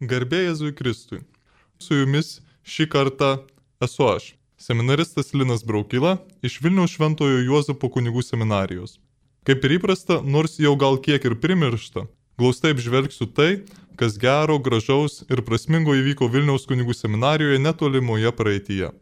Garbė Jėzui Kristui. Su jumis šį kartą esu aš, seminaristas Linas Braukyla iš Vilniaus Šventojo Juozapo kunigų seminarijos. Kaip ir įprasta, nors jau gal kiek ir primiršta, glaustai apžvelgsiu tai, kas gero, gražaus ir prasmingo įvyko Vilniaus kunigų seminarijoje netolimoje praeityje.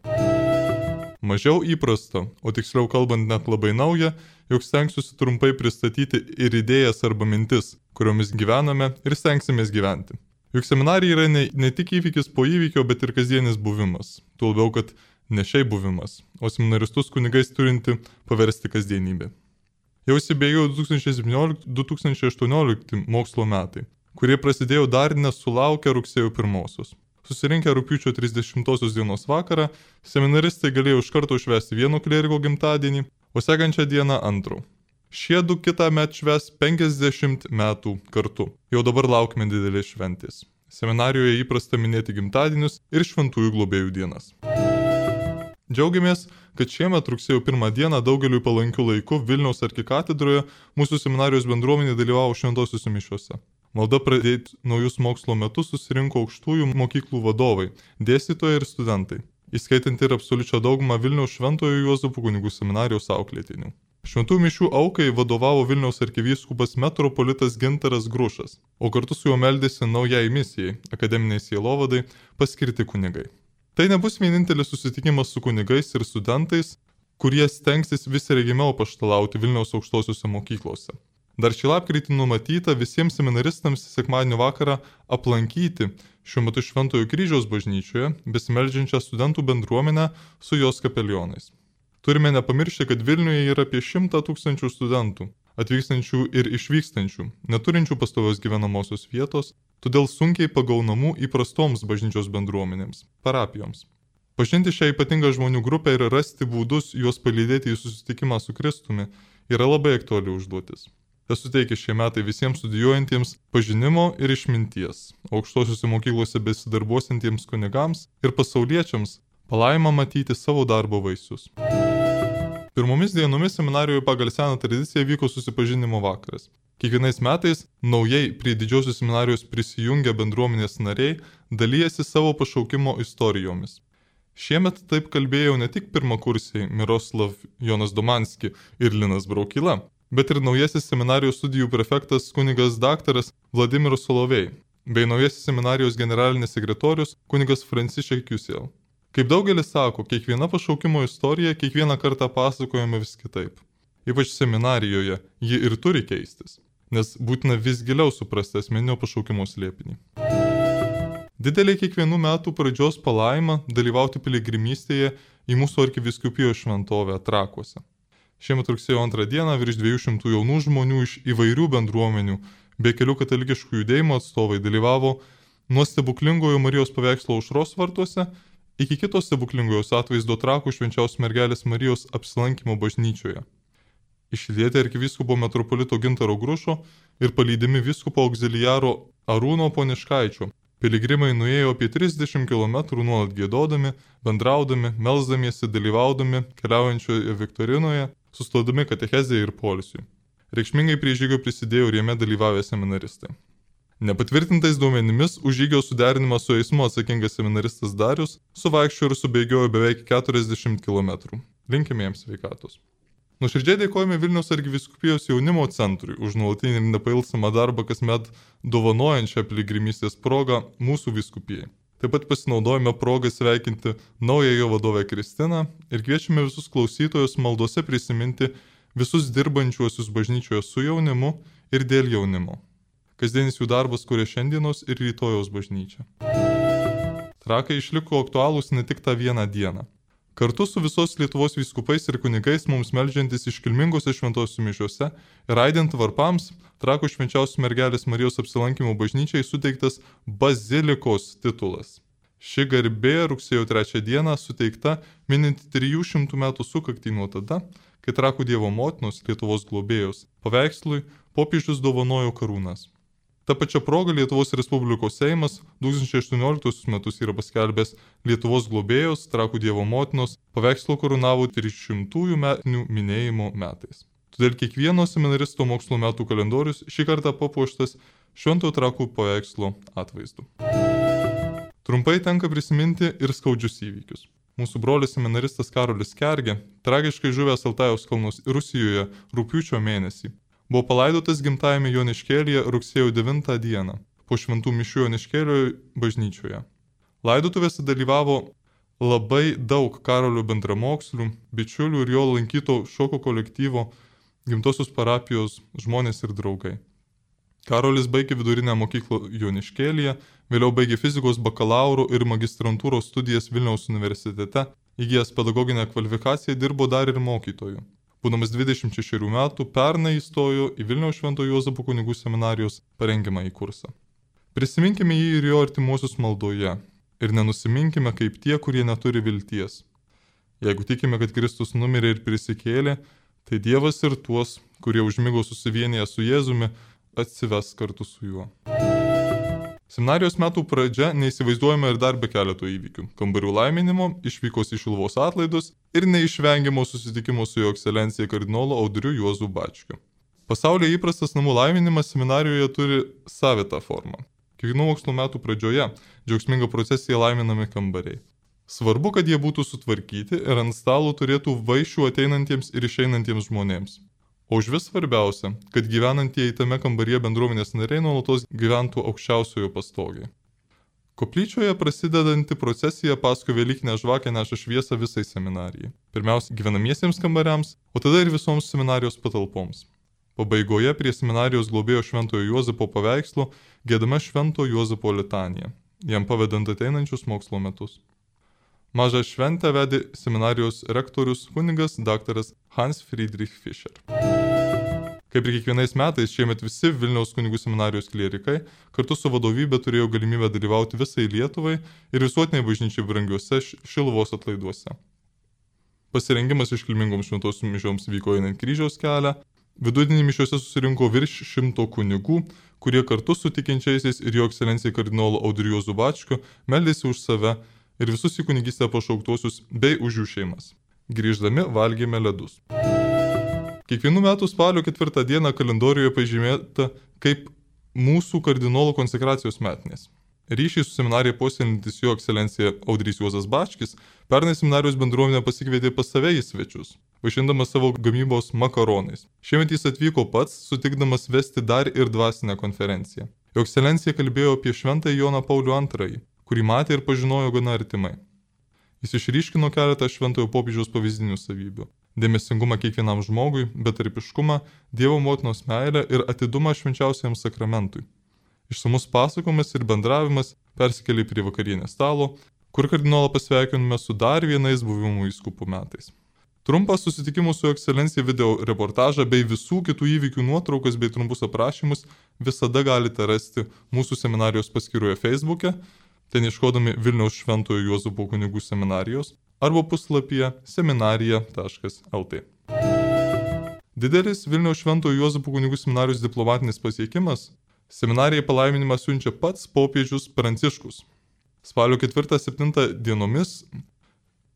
Mažiau įprasta, o tiksliau kalbant net labai nauja, jog stengsiuosi trumpai pristatyti ir idėjas arba mintis, kuriomis gyvename ir stengsimės gyventi. Juk seminarija yra ne tik įvykis po įvykio, bet ir kasdienis buvimas. Tuo labiau, kad ne šiaip buvimas, o seminaristus kunigais turinti paversti kasdienybę. Jau įsibėgėjo 2017-2018 mokslo metai, kurie prasidėjo dar nesulaukę rugsėjo 1-osios. Susirinkę rugpjūčio 30 dienos vakarą, seminaristai galėjo iš karto švęsti vieno klieriko gimtadienį, o sekančią dieną antro. Šie du kitą metą švęs 50 metų kartu. Jau dabar laukime didelės šventės. Seminarijoje įprasta minėti gimtadienius ir šventųjų globėjų dienas. Džiaugiamės, kad šiemet rugsėjo 1 dieną daugeliui palankių laikų Vilniaus arkikatedroje mūsų seminarijos bendruomenė dalyvavo šventosiuose mišiuose. Malda pradėti naujus mokslo metus susirinko aukštųjų mokyklų vadovai, dėstytojai ir studentai, įskaitant ir absoliučią daugumą Vilniaus Šventojo Juozapo kunigų seminarijos auklėtinių. Šventų mišių aukai vadovavo Vilniaus arkivyskupas metropolitas Gintaras Grušas, o kartu su juo meldėsi naujai misijai, akademiniai sielovadai, paskirti kunigai. Tai nebus vienintelis susitikimas su kunigais ir studentais, kurie stengsis vis regimiau paštalauti Vilniaus aukštosiuose mokyklose. Dar šį lapkritį numatyta visiems seminaristams sekmadienio vakarą aplankyti šiuo metu Šventojo Kryžiaus bažnyčioje besimeldžiančią studentų bendruomenę su jos kapelionais. Turime nepamiršti, kad Vilniuje yra apie 100 000 studentų, atvykstančių ir išvykstančių, neturinčių pastovios gyvenamosios vietos, todėl sunkiai pagaunamų įprastoms bažnyčios bendruomenėms, parapijoms. Pažinti šią ypatingą žmonių grupę ir rasti būdus juos palydėti į susitikimą su Kristumi yra labai aktuali užduotis. Tai suteikia šie metai visiems studijuojantiems pažinimo ir išminties, aukštosiuose mokyklose besidarbuosiantiems kunigams ir pasauliečiams palaimą matyti savo darbo vaisius. Pirmomis dienomis seminarijoje pagal seną tradiciją vyko susipažinimo vakaras. Kiekvienais metais naujai prie didžiosios seminarijos prisijungę bendruomenės nariai dalyjasi savo pašaukimo istorijomis. Šiemet taip kalbėjo ne tik pirmakursiai Miroslav Jonas Domanski ir Linas Braukyla, bet ir naujasis seminarijos studijų prefektas kunigas daktaras Vladimiras Solovej, bei naujasis seminarijos generalinis sekretorius kunigas Francišek Jusel. Kaip daugelis sako, kiekviena pašaukimo istorija kiekvieną kartą pasakojama vis kitaip. Ypač seminarijoje ji ir turi keistis, nes būtina vis giliau suprasti asmeninio pašaukimo slėpinį. Didelė kiekvienų metų pradžios palaima dalyvauti piligrimystėje į mūsų arkivyskupijos šventovę Trakuose. Šiemet rugsėjo 2 dieną virš 200 jaunų žmonių iš įvairių bendruomenių bei kelių katalikiškų judėjimų atstovai dalyvavo nuo stebuklingojo Marijos paveikslo aušros vartuose iki kitos stebuklingojos atvaizdo Trakų švenčiausios mergelės Marijos apsilankimo bažnyčioje. Išlydėti arkivyskupo metropolito Gintaro Grušo ir palydimi vyskupo auxiliaro Arūno Poniškaičio, piligrimai nuėjo apie 30 km nuolat giedodami, bendraudami, melsdamiesi, dalyvaudami keliaujančioje Viktorinoje, sustodami katechezėje ir poilsiui. Reikšmingai prie žygio prisidėjo ir jame dalyvavę seminaristai. Nepatvirtintais duomenimis už žygio suderinimą su eismu atsakingas seminaristas Darius suvaikščiojo ir subėgiojo beveik 40 km. Linkime jiems sveikatos. Nuoširdžiai dėkojame Vilniaus arkivyskupijos jaunimo centrui už nuolatinį ir nepailstamą darbą kasmet dovanojančią piligrimystės progą mūsų vyskupijai. Taip pat pasinaudojame progą sveikinti naująją vadovę Kristiną ir kviečiame visus klausytojus maldose prisiminti visus dirbančiuosius bažnyčioje su jaunimu ir dėl jaunimo. Kasdienis jų darbas kuria šiandienos ir rytojaus bažnyčią. Trakai išliko aktualūs ne tik tą vieną dieną. Kartu su visos Lietuvos vyskupais ir kunigais mums meldžiantis iškilmingose šventosiuose mišiuose ir aidint varpams, Trakų švenčiausios mergelės Marijos apsilankimo bažnyčiai suteiktas bazilikos titulas. Ši garbė rugsėjo 3 dieną suteikta minint 300 metų sukaktį nuo tada, kai Trakų Dievo motinos Lietuvos globėjos paveikslui popiežius dovanojo karūnas. Ta pačia proga Lietuvos Respublikos Seimas 2018 metus yra paskelbęs Lietuvos globėjos Trakų Dievo motinos paveikslo karūnavo 300 metinių minėjimo metais. Todėl kiekvieno seminaristo mokslo metų kalendorius šį kartą papuoštas Šventojo Trakų paveikslo atvaizdu. Trumpai tenka prisiminti ir skaudžius įvykius. Mūsų brolis seminaristas Karolis Kergė, tragiškai žuvęs Altajaus kalnus Rusijoje rugpjūčio mėnesį, buvo palaidotas gimtajame Joniškėlyje rugsėjo 9 dieną, po šventų mišių Joniškėlio bažnyčioje. Laidotuvėse dalyvavo labai daug Karolio bendramokslių, bičiulių ir jo lankyto šoko kolektyvo, gimtosios parapijos žmonės ir draugai. Karolis baigė vidurinę mokyklą Joniškėlyje, vėliau baigė fizikos bakalauro ir magistrantūros studijas Vilniaus universitete, įgijęs pedagoginę kvalifikaciją dirbo dar ir mokytoju. Būdamas 26 metų, pernai įstojo į Vilniaus Švento Juozapo kunigų seminarijos parengiamąjį kursą. Prisiminkime jį ir jo artimuosius maldoje ir nenusiminkime kaip tie, kurie neturi vilties. Jeigu tikime, kad Kristus numirė ir prisikėlė, tai Dievas ir tuos, kurie užmigo susivienyje su Jėzumi, atsives kartu su juo. Seminarijos metų pradžia neįsivaizduojama ir dar be keleto įvykių. Kambarių laiminimo, išvykos į Šiluvos atlaidus ir neišvengiamo susitikimo su jo ekscelencija kardinolu Audriu Juozu Bačkiu. Pasaulyje įprastas namų laiminimas seminarijoje turi savitą formą. Kiekvienų mokslo metų pradžioje džiaugsminga procesija laiminami kambariai. Svarbu, kad jie būtų sutvarkyti ir ant stalo turėtų vaišių ateinantiems ir išeinantiems žmonėms. O už vis svarbiausia, kad gyvenantieji tame kambaryje bendruomenės nariai nuolatos gyventų aukščiausiojo pastogiai. Koplyčioje prasidedanti procesija paskui Velykinę žvakę neša šviesą visai seminarijai. Pirmiausia gyvenamiesiems kambariams, o tada ir visoms seminarijos patalpoms. Pabaigoje prie seminarijos globėjo Šventojo Juozapo paveikslo giedama Švento Juozapo litanija, jam pavedant ateinančius mokslo metus. Mažą šventę vedė seminarijos rektorius kunigas dr. Hans Friedrich Fischer. Kaip ir kiekvienais metais, šiemet visi Vilniaus kunigų seminarijos klierikai kartu su vadovybė turėjo galimybę dalyvauti visai Lietuvai ir visuotiniai bažnyčiai brangiuose Šiluvos atlaiduose. Pasirengimas iškilmingoms šventosioms mišioms vyko einant kryžiaus kelią. Vidudienį mišiuose susirinko virš 100 kunigų, kurie kartu su tikinčiaisiais ir jo ekscelencijai kardinolu Audriu Juozu Bačkiu meldėsi už save ir visus į kunigystę pašauktuosius bei už jų šeimas. Grįždami valgėme ledus. Kiekvienų metų spalio 4 dieną kalendorijoje pažymėta kaip mūsų kardinolo konsekracijos metinės. Ryšiai su seminarija puoselėjantis jo ekscelencija Audrys Juozas Bačkis pernai seminarijos bendruomenę pasikvietė pas save į svečius, vaišindamas savo gamybos makaronais. Šiemet jis atvyko pats, sutikdamas vesti dar ir dvasinę konferenciją. Jo ekscelencija kalbėjo apie Šventąjį Joną Paulių II, kurį matė ir pažinojo gana artimai. Jis išryškino keletą šventojo popiežiaus pavyzdinių savybių – dėmesingumą kiekvienam žmogui, betarpiškumą, Dievo motinos meilę ir atidumą švenčiausiam sakramentui. Išsamus pasakojimas ir bendravimas persikėlė prie vakarienės stalo, kur kardinolą pasveikinome su dar vienais buvimų vyskupų metais. Trumpą susitikimų su ekscelencija video reportažą bei visų kitų įvykių nuotraukas bei trumpus aprašymus visada galite rasti mūsų seminarijos paskyroje Facebook'e, ten ieškodami Vilniaus Šventojo Juozapo kunigų seminarijos arba puslapyje seminarija.lt. Didelis Vilniaus Šventojo Juozapo kunigų seminarijos diplomatinis pasiekimas – seminarijai palaiminimą siunčia pats popiežius Pranciškus. Spalio 4-7 dienomis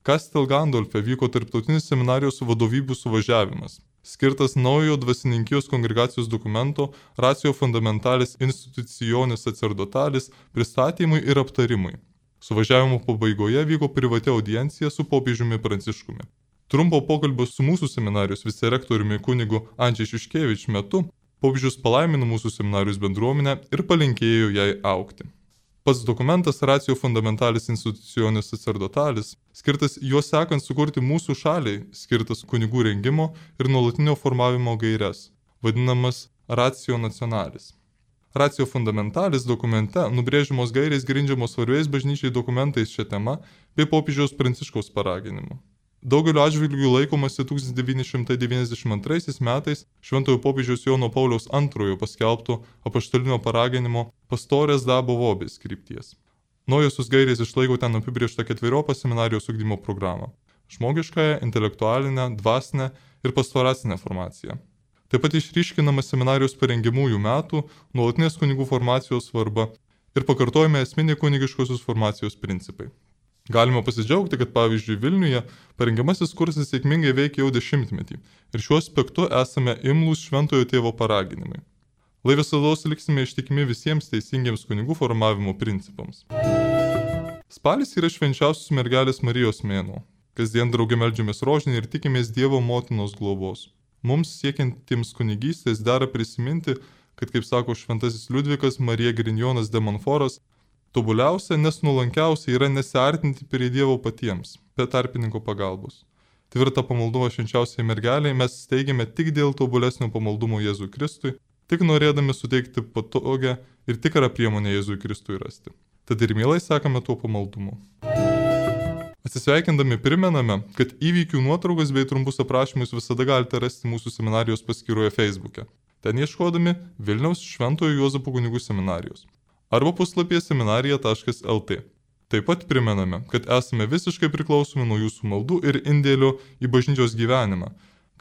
Kastel Gandolfe vyko tarptautinis seminarijos vadovybių suvažiavimas, skirtas naujo dvasininkijos kongregacijos dokumento Ratio Fundamentalis Institutionis Sacerdotalis pristatymui ir aptarimui. Suvažiavimo pabaigoje vyko privati audiencija su popiežiumi Pranciškumi. Trumpo pokalbio su mūsų seminarijos vicerektoriumi kunigu Andžiai Šiuškevič metu popiežius palaimino mūsų seminarijos bendruomenę ir palinkėjo jai augti. Pats dokumentas Ratio Fundamentalis Institutionis Sacerdotalis, skirtas juos sekant sukurti mūsų šaliai, skirtas kunigų rengimo ir nuolatinio formavimo gaires, vadinamas Ratio Nationalis. Ratio Fundamentalis dokumente nubrėžiamos gairės grindžiamos svarbiais bažnyčiai dokumentais šią temą bei popiežiaus Pranciškaus paraginimu. Daugeliu atžvilgių laikomasi 1992 metais Šventojo popiežiaus Jono Pauliaus II paskelbto apaštalinio paraginimo Pastores Dabo Vobis krypties. Naujosios gairės išlaiko ten apibrėžtą 4 seminarijos ugdymo programą – žmogiškąją, intelektualinę, dvasinę ir pastoracinę formaciją. Taip pat išryškinama seminarijos parengiamųjų metų, nuolatinės kunigų formacijos svarba ir pakartojami esminiai kunigiškosios formacijos principai. Galima pasidžiaugti, kad pavyzdžiui Vilniuje parengiamasis kursas sėkmingai veikia jau 10-metį ir šiuo aspektu esame imlūs Šventojo tėvo paraginimai. Lai visados liksime ištikimi visiems teisingiems kunigų formavimo principams. Spalis yra švenčiausios mergelės Marijos mėnuo. Kasdien draugė meldžiamės rožinį ir tikimės Dievo motinos globos. Mums siekiantiems kunigystės dera prisiminti, kad, kaip sako šventasis Liudvikas Marija Grignonas de Montfortas, tobuliausia, nes nuolankiausia yra nesiartinti prie Dievo patiems, be tarpininko pagalbos. Tvirtą pamaldumą švenčiausiai mergeliai mes steigiame tik dėl tobulesnio pamaldumo Jėzui Kristui, tik norėdami suteikti patogią ir tikrą priemonę Jėzui Kristui rasti. Tad ir mielai sekame tuo pamaldumu. Atsisveikindami primename, kad įvykių nuotraukas bei trumpus aprašymus visada galite rasti mūsų seminarijos paskyroje Facebook'e. Ten ieškodami Vilniaus Šventojo Juozapo kunigų seminarijos arba puslapyje seminarija.lt. Taip pat primename, kad esame visiškai priklausomi nuo jūsų maldų ir indėlio į bažnyčios gyvenimą,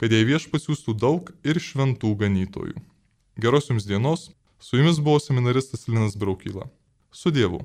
kad jai Viešpats siųstų daug ir šventų ganytojų. Geros jums dienos, su jumis buvo seminaristas Linas Braukyla. Su Dievu.